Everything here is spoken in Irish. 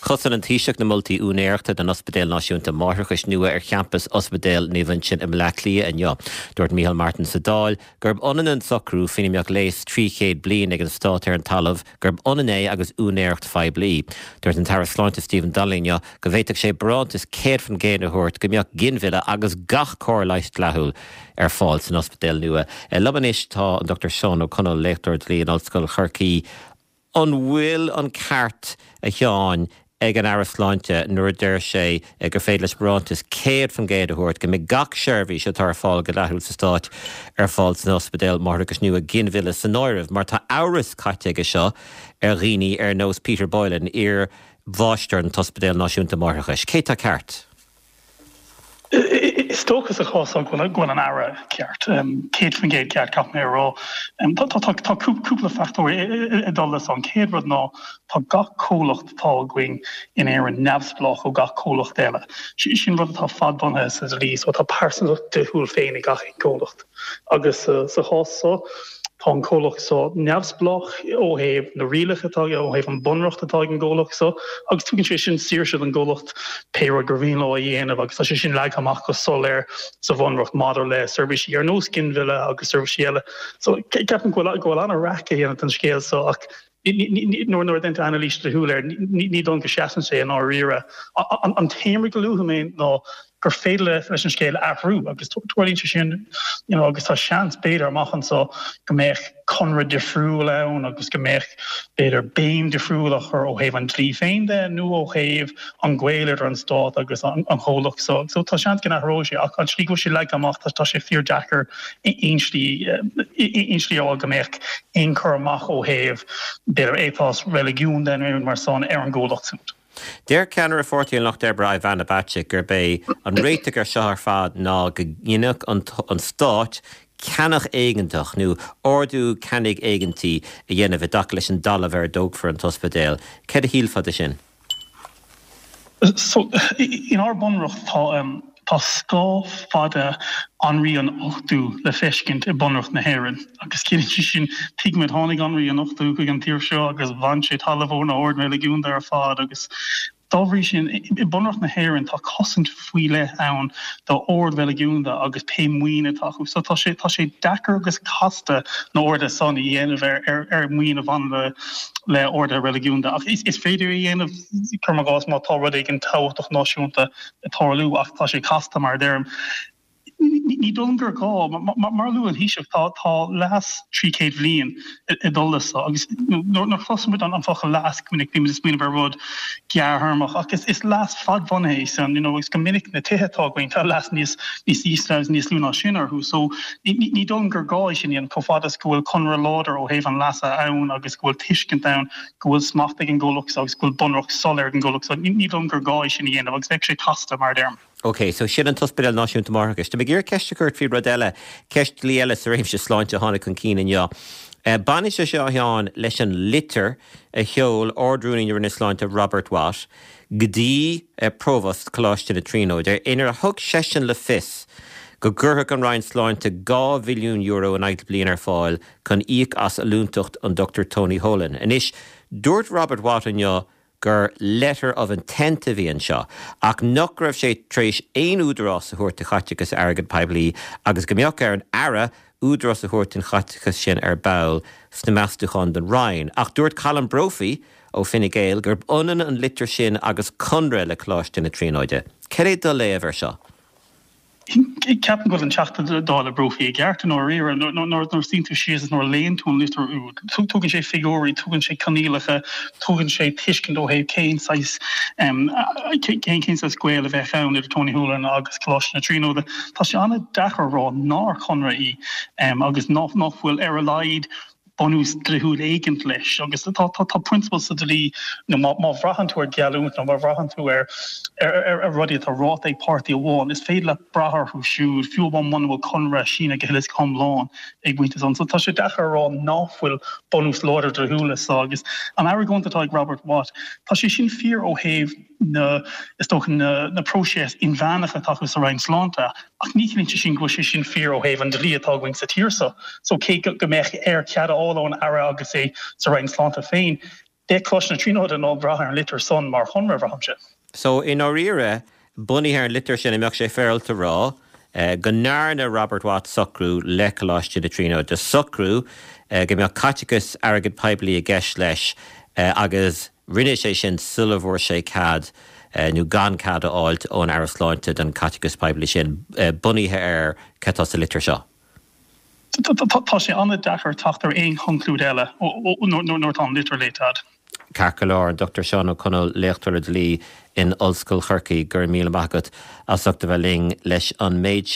Chosain an Taoiseach na moltaí úinéireachta don Ospidéal Náisiúnta Máithreachais nua ar champas Ospidéal Naomh Uinseann i mBleá Cliath inniu. Dúirt Micheál Martin sa Dáil gurb ionann an socrú, faoina mbeadh léas 300 bliain ag an stát ar an talamh, gurb ionann é agus úinéireacht phoiblí. Dúirt an Taire Sláinte Stephen Donnelly inniu go bhféadfadh sé barántas 100% a thabhairt go mbeadh ginmhilleadh agus gach cóir leighis dleathúil ar fáil san ospidéal nua. Liom anois tá an Dr Seán Ó Conaill, léachtóir dlí in Ollscoil Chorcaí. An bhfuil an ceart, a Sheáin, ag an Aire Sláinte nuair a deir sé gur féidir leis barántas 100% a thabhairt go mbeidh gach seirbhís atá ar fáil go dleathúil sa Stát ar fáil san ospidéal máithreachais nua, ginmhilleadh san áireamh, mar tá amhras caite aige seo ar dhaoine ar nós Peter Boylan, iar-mháistir an tOspidéal Náisiúnta Máithreachais. Cé tá ceart? Is dócha sa chás seo go bhfuil an Aire ceart, 100% ceart caithfidh mé a rá. Tá cúpla fachtóir ag dul leis. An chéad rud ná tá gach comhlacht atá againn in Éirinn neamhspleách ó gach comhlacht eile. Sin rud atá fadbhunaithe sa dlí so tá pearsantacht dlíthiúil féin ag gach aon chomhlacht. Agus sa chás seo, tá an comhlacht seo neamhspleách ó thaobh na rialacha atá aige, ó thaobh an bunreacht atá ag an gcomhlacht seo, agus tugann sé sin saoirse don gcomhlacht pé rud gur mhian leo a dhéanamh agus tá sé sin leagtha amach go soiléir sa bhunreacht maidir le seirbhísí ar nós ginmhilleadh agus seirbhísí eile. So ceapaim go bhfuil go bhfuil an-raic á dhéanamh den scéal seo ach nuair a déantar anailís dlíthiúil air, ní dóigh liom go seasann sé i ndáiríre. An t-aon rud go luafaidh mé ná gur féidir leis an scéal athrú agus tarlaíonn sé sin you know agus tá seans b'fhéidir amach anseo go mbeadh conradh difriúil ann agus go mbeadh b'fhéidir béim difriúil á chur ó thaobh an dlí féin de nó ó thaobh an gaol idir an stát agus an chomhlacht so. So tá seans go n-athróidh sé ach an tslí go bhfuil sé leagtha amach tá sé fíor-deacair aon slí aon slí a fháil go mbeadh aon cur amach ó thaobh b'fhéidir ethos reiligiún de nó mar san ar an gcomhlacht siúd. Deir ceannaire Pháirtí an Lucht Oibre Ivana Bacik gurb é an réiteach ar seo ar fad ná go ndéanfadh an stát ceannach éigeantach nó ordú ceannaigh éigeantaigh a dhéanamh i dtaca leis an dtalamh ar a dtógfar an t-ospidéal. Céard a shílfeá de sin? So, inár bunreacht tá tá scáth fada Anraí an Ochtú le feiscint i bunreacht na hÉireann. Agus ciallaíonn sé sin, tuigimid, tháinig Anraí an Ochtú chuig an tír seo agus bhain sé talamh ó na hoird reiligiúnda ar fad agus dá bhrí sin, i bunreacht na hÉireann tá cosaint faoi leith ann d'oird reiligiúnda agus pé maoin atá acu. So tá sé tá sé deacair agus casta na horduithe san a dhéanamh ar ar ar maoin a bhaineann le le orduithe reiligiúnda. Ach is is féidir é a dhéanamh, cuirim i gcás, má tá rud éigin tábhachtach náisiúnta ag tarlú ach tá sé casta mar a deirim. Ní dóigh liom gur gá, mar a luaigh an Taoiseach, tá tá leas 300 bhliain ag dul leis seo agus nuair a chloiseann muid an focal leas go minic bímid ag smaoineamh ar rud gearrthéarmach ach is is leas fadbhunaithe é san you know agus go minic na tithe atá againn tá leas níos níos ísle agus níos lú ná sin orthu so ní ní dóigh liom gur gá é sin a dhéanamh chomh fada is go bhfuil conradh láidir ó thaobh an leasa ann agus go bhfuil tuiscint ann go bhfuil smacht ag an gcomhlacht seo agus go bhfuil bunreacht soiléir ag an gcomhlacht seo. Ní dóigh liom gur gá é sin a dhéanamh agus bheadh sé casta, mar a deirim. OK, so sin an tOspidéal Náisiúnta Máithreachais. Tá mé ag iarraidh ceist a chur ort faoi rud eile, ceist dlí eile sa réimse sláinte a tháinig chun cinn inniu. Baineann sé seo, a Sheáin, leis an litir a sheol Ard-Rúnaí na Roinne Sláinte Robert Watt go dtí Provost Choláiste na Tríonóide inar thug seisean le fios go gcuirfeadh an Roinn Sláinte €2 mhilliún in aghaidh na bliana ar fáil chun íoc as ollúntacht an Dr Tony Holohan. Anois, dúirt Robert Watt inniu gur letter of intent a bhí anseo, ach nach raibh sé tar éis aon údarás a thabhairt do chaiteachas airgead poiblí agus go mbeadh ar an Aire údarás a thabhairt don chaiteachas sin ar ball sna meastúcháin don Roinn. Ach dúirt Colm Brophy ó Fine Gael gurb ionann an litir sin agus conradh le Coláiste na Tríonóide. Cad é do léamh air seo? Ceapaim go bhfuil an Teachta Dála Brophy i gceart i ndáiríre. Nuair a suíonn tú síos is nuair a léann tú an litir úd, tugann sé figiúirí, tugann sé coinníollacha, tugann sé tuiscint ó thaobh cén saghas cén saghas gaol a bheadh ann idir Tony Holohan agus Coláiste na Tríonóide. Tá sé an-deacair a rá nár chonradh í agus nach bhfuil ar a laghad bunús dlíthiúil éigint leis agus tá tá prionsabal sa dlí nó má má bhraitheann tú ar gheallúint nó má bhraitheann tú ar ar rudaí atá ráite ag páirtí amháin, is féidir leat brath orthu siúd, fiú amháin muna bhfuil conradh sínithe go huile is go hiomlán ag baint leis. So tá sé deacair a rá nach bhfuil bunús láidir dlíthiúil leis seo agus an argóint atá ag Robert Watt, tá sé sin fíor ó thaobh na, is dócha, na na próiseas inmheánacha atá acu sa Roinn Sláinte, ach ní chiallaíonn sé sin go bhfuil sé sin fíor ó thaobh an dlí atá againn sa tír seo. So cé go mbeadh air cead a fháil ón Aire agus é sa Roinn Sláinte féin, Beidh Coláiste na Tríonóide in ann brath ar an litir san mar chonradh, braithimse. So, i ndáiríre, bunaithe ar an litir sin, an mbeadh sé féaráilte a rá go ndearna Robert Watt socrú le Coláiste na Tríonóide, socrú go mbeadh caiteachas airgead poiblí i gceist leis agus rinne sé sin sula bhfuair sé cead nó gan cead a fháilt ón Aire Sláinte don chaiteachas poiblí sin, bunaithe ar cad tá sa litir seo? Tá sé an-deacair teacht ar aon chonclúid eile nuair atá an litir léite a'd. Ceart go leor, an Dr Seán Ó Conaill, léachtóir le dlí in Ollscoil Chorcaí, go raibh míle maith agat as ucht a bheith linn leis an méid sin.